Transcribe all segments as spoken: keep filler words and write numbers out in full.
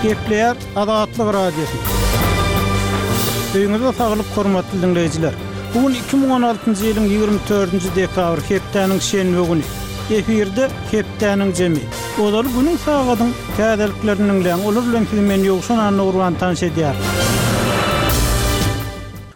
Gepleýär Azatlyk Radiosy. Öýüňize saglyk hormatly diňleýjiler. Bu gün iki müň on altynjy ýylyň ýigrimi dördünji dekabry, hepdäniň şenbe güni. Efirde hepdäniň jemi. Ozaly günüň sagadyň täzeliklerini diňläň. Olar bilen sizi men Ýowşan Annagurban tanyş edýär.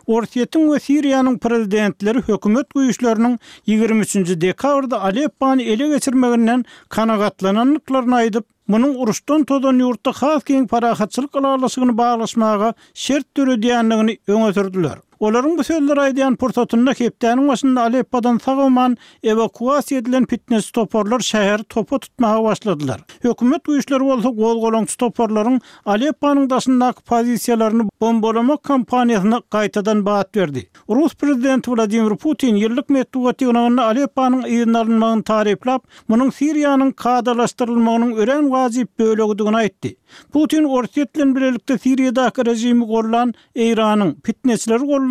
Orsýetiň we Siriýanyň prezidentleri hökümet güýçleriniň ýigrimi üçünji dekabrda Aleppony ele geçirmeginden kanagatlanandyklaryny aýdyp, munuň uruşdan tozan ýurtda has giň parahatçylyk ylalaşygyny baglaşmaga şert döredýändigini öňe sürdüler. Olaryň bu sözleri aýdýan pursatynda hepdäniň başynda Aleppodan sag-aman ewakuasiýa edilen pitneçi toparlar şäheri topa tutmaga başladylar. Hökümet güýçleri bolsa gozgalaňçy toparlaryň Alepponyň daşyndaky pozisiýalaryny bombalamak kampaniýasyna gaýtadan bat berdi. Rus prezidenti Wladimir Putin ýyllyk metbugat ýygnagynda Alepponyň yzyna alynmagyny taryplap, munuň Siriýanyň kadalaşdyrylmagynyň örän wajyp bölegidigini aýtdy. Putin Orsýet bilen bilelikde Siriýadaky režimi gollan Eýranyň, pitneçileri gollan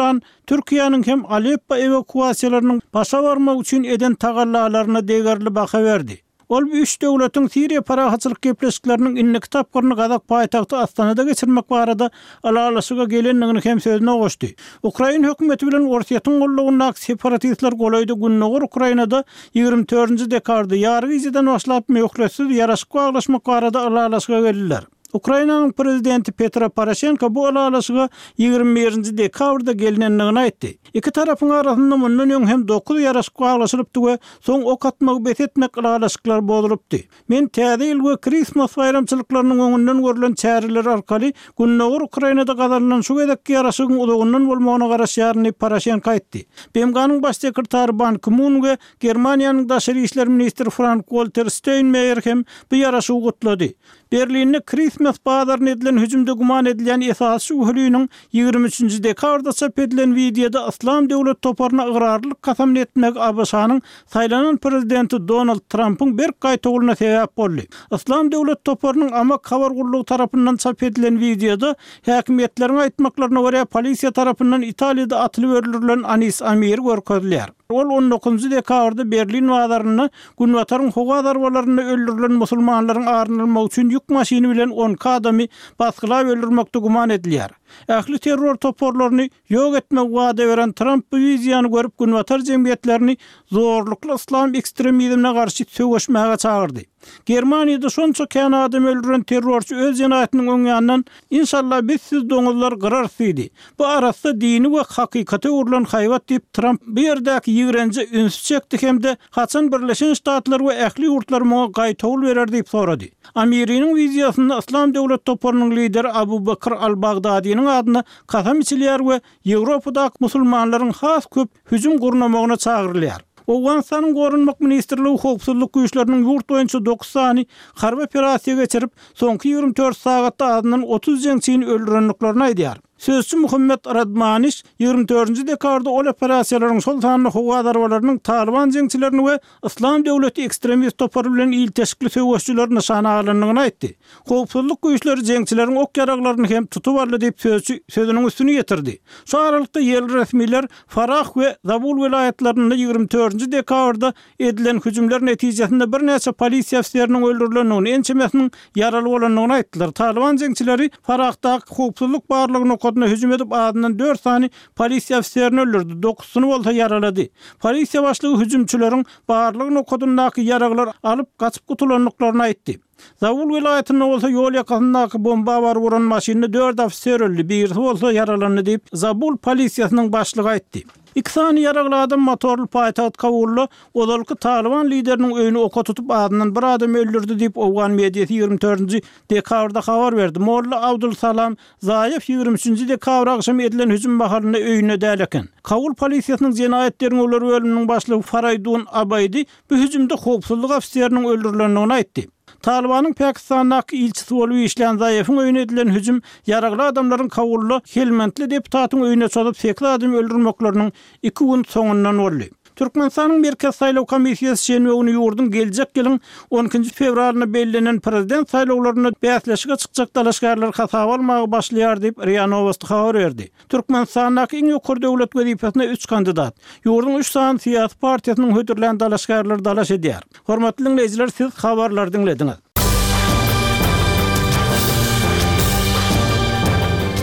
Türkiýäniň hem Aleppo ewakuasiýalarynyň başa barmagy üçin eden tagallalaryna degerli baha berdi. Ol bu üç döwletiň Siriýa parahatçylyk gepleşikleriniň indiki tapgyryny Gazak paýtagty Astanada geçirmek barada ylalaşyga gelendigini hem sözüne goşdy. Ukrain hökümeti bilen Orsýetiň gollagyndaky separatistler golaýda Gündogar Ukrainada ýigrimi dördünji dekabrda ýary gijeden başlap möhletsiz ýaraşyk baglaşmak barada ylalaşyga geldiler. Ukrainanyň prezidenti Petro Poroşenko bu ylalaşyga ýigrimi birinji dekabrda gelinendigini aýtdy. Iki tarapyň arasynda mundan öň hem dokuz ýaraşyk baglaşylypdy we soň ok atmagy bes etmek ylalaşyklary bozulypdy. Men Täze ýyl we Krismas baýramçylyklarynyň öňünden görlen çäreler arkaly Gündogar Ukrainada gazanylan şu gezekki ýaraşygyň uzagyndan bolmagyna garaşýaryn diýip Poroşenko aýtdy. B M G-nyň baş sekretary Ban Ki-mun we Germaniýanyň daşary işler ministri Frank-Walter Steinmeier hem bu ýaraşygy gutlady. Berlinde Krismas bazaryna edilen hüjümde güman edilýän esasy şübheliniň ýigrimi üçünji dekabrda çap edilen wideoda Yslam döwlet toparyna ygrarlylyk kasamyny etmegi A B Ş-nyň saýlanan prezidenti Donald Trumpyň berk gaýtawulyna sebäp boldy. Yslam döwlet toparynyň Amak habar gullugy tarapyndan çap edilen wideoda häkimiýetleriň aýtmaklaryna görä polisiýa tarapyndan Italiýada atylyp öldürilen Anis Amiri görkezilýär. Ol on dokuzynjy dekabrda Berlin bazarynda Günbataryň howa zarbalarynda öldürilen musulmanlaryň arynylmagy üçin ýük maşyny bilen on iki adamy basgylap öldürmekde güman edilýär. Ähli terror toparlaryny ýok etmegi wada beren Trump bu wideony görüp Günbatar jemgyýetlerini zorlukly yslam ekstremizmine garşy söweşmäge çagyrdy. Germaniýada şonça kän adam öldüren terrorçy öz jenaýatynyň öň ýanyndan Inşallah biz siz doňuzlar gyrarys diýdi. Bu arassa dini we hakykata öwrülen haýbat diýip Trump bu ýerdäki ýigrenje ünsi çekdi hem-de haçan Birleşen Ştatlar we ähli ýurtlar muňa gaýtawul berer diýip sorady. Amiriniň wideosynda Yslam döwlet toparynyň lideri Abu Bakr al-Bagdadiniň adyna kasam içilýär we Ýewropadaky musulmanlaryň has köp hüjüm gurnamagyna çagyrylýar. Owganystanyň Goranmak ministrligi howpsuzlyk güýçleriniň ýurt boýunça dokuz sany harby operasiýa geçirip, soňky ýigrimi dört sagatda azyndan otuz jeňçini öldürendiklerini aýdýar. Sözçi Muhammet Radmaniş ýigrimi dördünji dekabrda ol operasiýalaryň şol sanda howa zarbalarynyň Talyban jeňçilerini we Yslam döwleti ekstremist topary bilen ilteşikli söweşçileri nyşana alandygyny aýtdy. Howpsuzlyk güýçleri jeňçileriň ok ýaraglaryny hem tutup aldy diýip sözçi sözüniň üstüni ýetirdi. Şu aralykda ýerli resmiler Farah we Zabul welaýatlarynda ýigrimi dördünji dekabrda edilen hüjümler netijesinde birnäçe polisiýa ofiseriniň öldürilendigini, ençemesiniň ýaraly bolandygyny aýtdylar. Talyban jeňçileri Farahdaky howpsuzlyk barlygy nokadyna hüjüm edip azyndan dört sany polisiýa ofiserini öldürdi, dokuzysyny bolsa ýaralady. Polisiýa başlygy hüjümçileriň barlygy nokadyndaky ýaraglar alyp gaçyp gutulandyklaryny aýtdy. Zabul welaýatynda bolsa ýol ýakasyndaky bomba baryp uran maşynda dört ofiser öldi, birisi bolsa ýaralandy diýip Zabul polisiýasynyň başlygy aýtdy. Iki sany ýaragly adam motorly paýtagt Kabulda ozalky Talyban lideriniň öýüni oka tutup azyndan bir adam öldürdi diýip Owgan mediasy ýigrimi dördünji dekabrda habar berdi. Molla Abdul Salam Zaýew ýigrimi üçünji dekabr agşamy edilen hüjüm mahalynda öýünde däl eken. Kabul polisiýasynyň jenaýat derňewleri bölüminiň başlygy Faraýdun Abaýdy bu hüjümde howpsuzlyk ofiseriniň öldürilendigini aýtdy. Talybanyň Pakistandaky ilçisi bolup işlän Zaýewiň öýüne edilen hüjüm ýaragly adamlaryň Kabulda Helmandly deputatyň öýüne çozup sekiz adam öldürmekleriniň iki gün soňundan boldy. Türkmenistanyň Merkezi saýlaw komissiýasy şenbe güni ýurduň geljek ýylyň on ikinji fewralynda bellenen prezident saýlawlarynda bäsleşige çykjak dalaşgärleri hasaba almaga başlaýar diýip R I A Nowosti habar berdi. Türkmenistandaky iň ýokary döwlet wezipesine üç kandidat, ýurduň üç sany syýasy partiýasynyň hödürlän dalaşgärleri dalaş edýär. Hormatly diňleýjiler, siz habarlary diňlediňiz.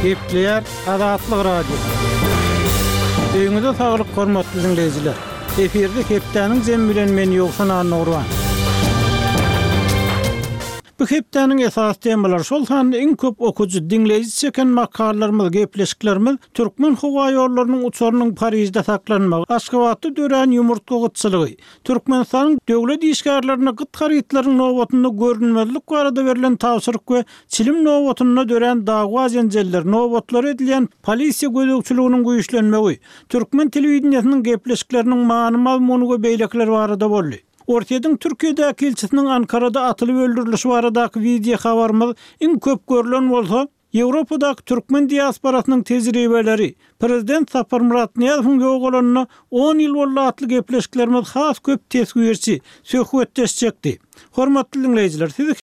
Gepleýär Azatlyk Radiosy. Öýüňize saglyk hormatly diňleýjiler. Efirde hepdäniň jemi bilen men Ýowşan Annagurban. Bu hepdäniň esasy temalary, şol sanda iň köp okyjy, diňleýji çeken makalalarymyz, gepleşiklerimiz Türkmen howa ýollarynyň uçarynyň Parižde saklanmagy, Aşgabatda dörän ýumurtga gytçylygy, Türkmenistanyň döwlet işgärlerine gyt harytlaryň nobatynda görünmezlik barada berlen tabşyryk we çilim nobatynda dörän dawa-jenjeller, nobatlara edilýän polisiýa gözegçiliginiň güýçlenmegi, türkmen telewideniýesiniň gepleşikleriniň many-mazmuny we beýlekiler barada boldy. Orsýetiň Türkiýedäki ilçisiniň Ankarada atylyp öldürilişi baradaky wideo habarymyz iň köp görlen bolsa, Ýewropadaky türkmen diasporasynyň tejribeleri, Prezident Saparmyrat Nyýazowyň ýogalanyna on ýyl boldy atly gepleşiklerimiz has köp teswirçi, söhbetdeş çekdi. Hormatly diňleýjiler, sizi